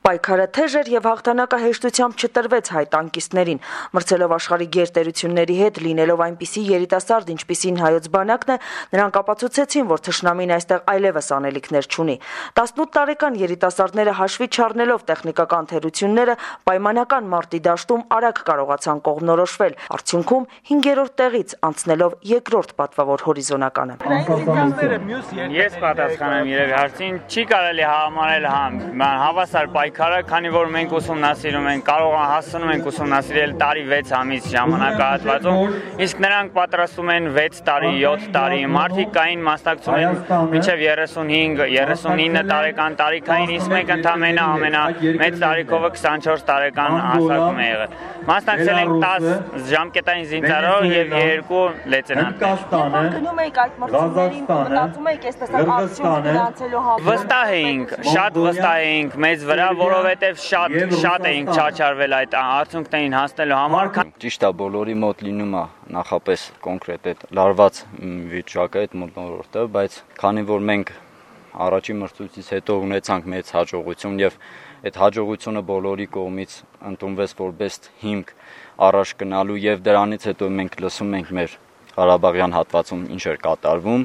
Պայքարը թեժ էր եւ հաղթանակը հեշտությամբ չտրվեց հայ տանկիստներին։ Մրցելով աշխարհի գերտերությունների հետ, լինելով այնպիսի երիտասարդ, ինչպիսին հայոց բանակն է, նրանք ապացուցեցին, որ թշնամին այստեղ այլևս անելիքներ չունի։ 18 տարեկան երիտասարդները հաշվի չառնելով տեխնիկական թերությունները, պայմանական մարտի դաշտում արագ կարողացան կողմնորոշվել, արդյունքում 5-րդ տեղից անցնելով 2-րդ պատվավոր հորիզոնականը։ Ես պատասխանեմ երևի հարցին, չի կարելի համարել հավասար պայքարը, քանի որ մենք ուսումնասիրում ենք, կարող հասնում ենք ուսումնասիրել տարի 6 ամիս ժամանակահատվածում, իսկ նրանք պատրաստում են 6 տարի, 7 տարի, մարդիկ կային մասնակցում են մինչև 35-39 տարեկան տարիքային, իսկ մենք ընդամենը ամենամեծ տարիքովը 24 տարեկան հասակում է եղել։ Մասնակցել ենք 10 ժամկետային զինծառայող եւ 2 լեյտենանտ։ Գնում եք այդ մրցումներին, մտածում եք այսպես արդյունք գրանցելու համար։ Վստահ էինք, շատ վստահ էինք մեզ վրա, որովհետեւ շատ էինք չաչարվել այդ արդյունքներին հասնելու համար։ Ճիշտ է, բոլորի մոտ լինում է նախապես կոնկրետ այդ լարված վիճակը, այդ մոտորոտը, բայց քանի որ մենք առաջին մրցույթից հետո ունեցանք մեծ հաջողություն եւ այդ հաջողությունը բոլորի կողմից ընդունվեց որպես հիմք առաջ գնալու եւ դրանից հետո մենք լսում ենք մեր Ղարաբաղյան հատվածում ինչ էր կատարվում,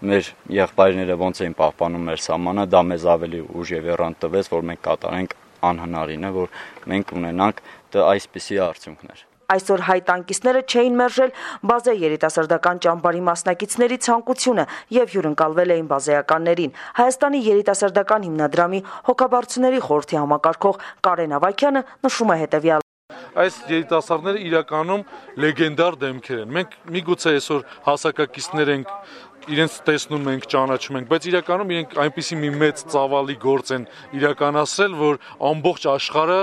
մեր եղբայրները ոնց էին պահպանում մեր սահմանը, դա մեզ ավելի ուժ եւ եռանդ տվեց, որ մենք կատարենք անհնարինը, որ մենք ունենանք այսպիսի արդյունքներ։ Այսօր հայ տանկիստները չէին մերժել բազե երիտասարդական ճամբարի մասնակիցների ցանկությունը եւ հյուրընկալվել էին բազեականներին։ Հայաստանի երիտասարդական հիմնադրամի հոգաբարձուների խորհրդի համակարգող Կարեն Ավագյանը նշում է հետեւյալը. Այս երիտասարդները իրականում լեգենդար դեմքեր են։ Մենք միգուցե այսօր հասակակիցներ ենք, իրենց տեսնում ենք, ճանաչում ենք, բայց իրականում իրենք այնպիսի մի մեծ ծավալի գործ են իրականացրել, որ ամբողջ աշխարհը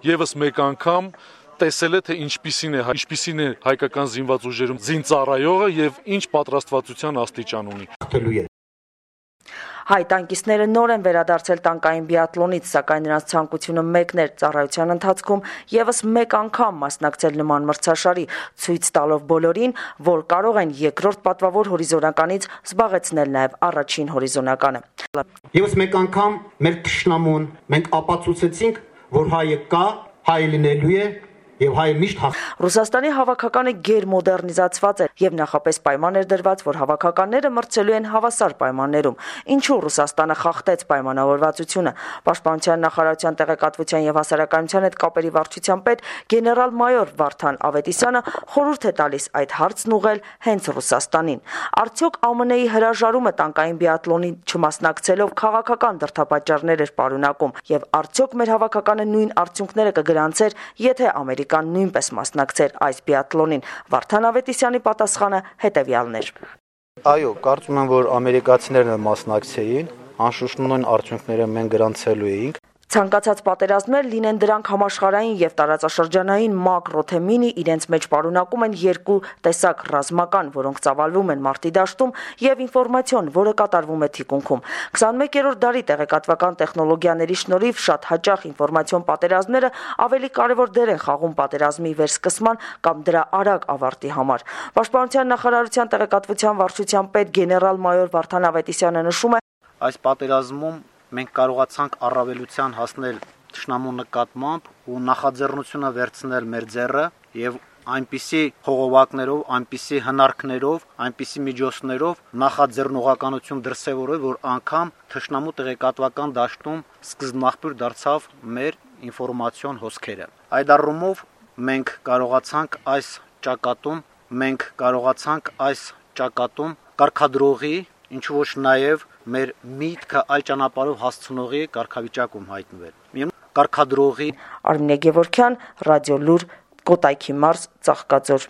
եւս մեկ անգամ տեսել է, թե ինչպիսին է հայկական զինված ուժերում զինծառայողը եւ ինչ պատրաստվածության աստիճան ունի։ Հայ տանկիստները նոր են վերադարձել տանկային բիաթլոնից, սակայն նրանց ցանկությունը մեկն էր՝ ծառայության ընթացքում եւս մեկ անգամ մասնակցել նման մրցաշարի, ցույց տալով բոլորին, որ կարող են 2-րդ պատվավոր հորիզոնականից զբաղեցնել նաեւ առաջին հորիզոնականը։ Եվս մեկ անգամ մեր թշնամուն մենք ապացուցեցինք, որ հայը կա, հայը լինելու է եւ հայը միշտ Ռուսաստանի հավաքականը գերմոդեռնիզացված է եւ նախապես պայման էր դրված, որ հավաքականները մրցելու են հավասար պայմաններում։ Ինչու Ռուսաստանը խախտեց պայմանավորվածությունը։ Պաշտպանության նախարարության տեղեկատվության եւ հասարակայնության հետ կապերի վարչության պետ գեներալ-մայոր Վարդան Ավետիսյանը խորհուրդ է տալիս այդ հարցն ուղղել հենց Ռուսաստանին։ Արդյոք ԱՄՆ-ի հրաժարումը տանկային բիաթլոնի չմասնակցելով քաղաքական դրդապատճառներ էր պարունակում եւ արդյոք մեր հավաքականը նույն արդյունքները կգրանցեր, եթե Ամերիկան նույնպես մասնակցեր այս բիաթլոնին։ Վարդան Ավետիսյանի պատասխանը հետեւյալն էր. Այո, կարծում եմ, որ ամերիկացիներն մասնակցեին, անշուշտ նույն արդյունքները մենք գրանցելու էինք։ Ցանկացած պատերազմներ, լինեն դրանք համաշխարհային եւ տարածաշրջանային, մակրո թե մինի, իրենց մեջ պարունակում են 2 տեսակ ռազմական, որոնք ծավալվում են մարտի դաշտում, եւ ինֆորմացիոն, որը կատարվում է թիկունքում։ 21-րդ դարի տեղեկատվական տեխնոլոգիաների շնորհիվ շատ հաճախ ինֆորմացիոն պատերազմները ավելի կարևոր դեր են խաղում պատերազմի վերսկսման կամ դրա արագ ավարտի համար։ Պաշտպանության նախարարության տեղեկատվության վարչության պետ գեներալ-մայոր Վարդան Ավետիսյանը նշում է. Այս պատերազմում մենք կարողացանք առավելության հասնել թշնամու նկատմամբ ու նախաձեռնությունը վերցնել մեր ձեռը եւ այնպիսի խողովակներով, այնպիսի հնարքներով, այնպիսի միջոցներով նախաձեռնողականություն դրսևորել, որ անգամ թշնամու տեղեկատվական դաշտում սկզբնաղբյուր դարձավ մեր ինֆորմացիոն հոսքերը։ Այդ առումով մենք կարողացանք այս ճակատում կարգադրողի, ինչու ոչ նաև մեր միտքը այլ ճանապարհով հասցնողի կարգավիճակում հայտնվել։ Կարգադրողի Արմինե Գևորգյան, Ռադիո Լուր, Կոտայքի մարզ, Ծաղկաձոր։